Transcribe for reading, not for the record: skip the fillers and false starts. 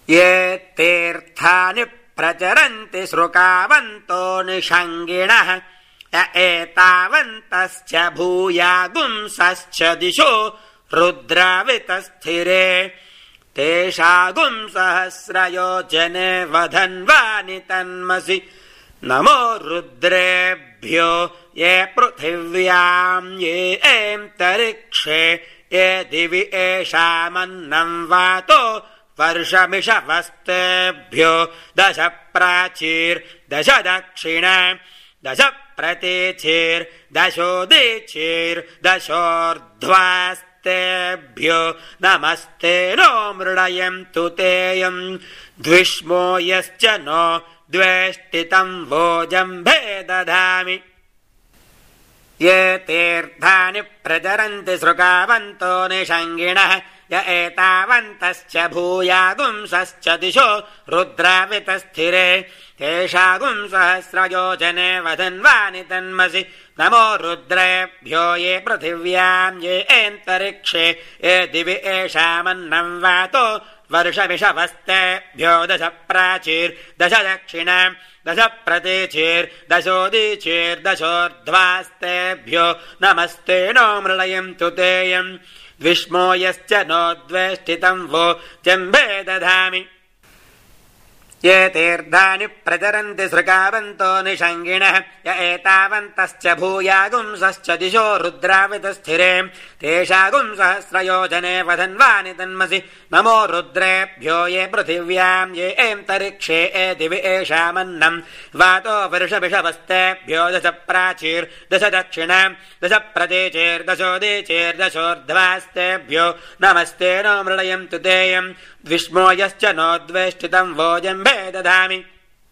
ये तीर्थानि प्रचरन्ति श्रुकावन्तो निषङ्गिणः य एतावन्तश्च भूयागुंसश्च दिशो रुद्रावितस्थिरे तेषागुं सहस्रयोजने वधन्वानि तन्मसि नमो रुद्रेभ्यो ये पृथिव्यां ये एन्तरिक्षे ये दिवि एषामन्नं वातो वर्षमिषवस्तेभ्यो दश प्राचीर्दश दक्षिण दश प्रतीचीर्दशोदीचीर्दशोर्ध्वास्तेभ्यो नमस्ते नो मृडयन्तु तेयम् द्विष्मो यश्च नो द्वेष्टितं भोजम्भे दधामि ये तीर्थानि प्रचरन्ति श्रुकावन्तो निषङ्गिणः य एतावन्तश्च भूयागुंसश्च दिशो रुद्रावितस्थिरे तेषागुं सहस्रयोजने वधन्वानि तन्मसि नमो रुद्रेभ्यो ये पृथिव्यां ये एन्तरिक्षे ये दिवि एषामन्नं वातो वर्षमिषवस्तेभ्यो दश प्राचीर्दश दक्षिण दश प्रतीचीर्दशोदीचीर्दशोर्ध्वास्तेभ्यो नमस्ते नो मृडयन्तु तेयम् द्विष्मो यश्च नो द्वेष्टितं वो जम्भे दधामि ये तीर्थानि प्रचरन्ति श्रुकावन्तो निषङ्गिणः य एतावन्तश्च भूयागुंसश्च दिशो रुद्रावितस्थिरे तेषागुं सहस्रयोजने वधन्वानि तन्मसि नमो रुद्रेभ्यो ये पृथिव्यां ये एन्तरिक्षे ये दिवि एषामन्नं वातो वर्षमिषवस्तेभ्यो दश प्राचीर्दश दक्षिण दश प्रतीचीर्दशोदीचीर्दशोर्ध्वास्तेभ्यो नमस्ते नो मृडयन्तु तेयम् द्विष्मो यश्च नो द्वेष्टितं वो जम्भे दधामि